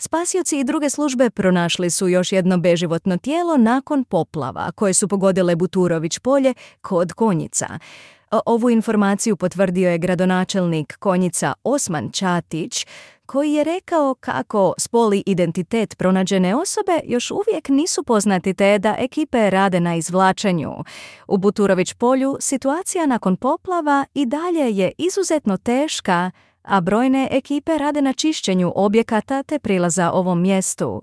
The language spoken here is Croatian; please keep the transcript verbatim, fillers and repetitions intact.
Spasioci i druge službe pronašli su još jedno beživotno tijelo nakon poplava koje su pogodile Buturović polje kod Konjica. Ovu informaciju potvrdio je gradonačelnik Konjica Osman Čatić, koji je rekao kako spol i identitet pronađene osobe još uvijek nisu poznati te da ekipe rade na izvlačenju. U Buturović polju situacija nakon poplava i dalje je izuzetno teška, a brojne ekipe rade na čišćenju objekata te prilaza ovom mjestu.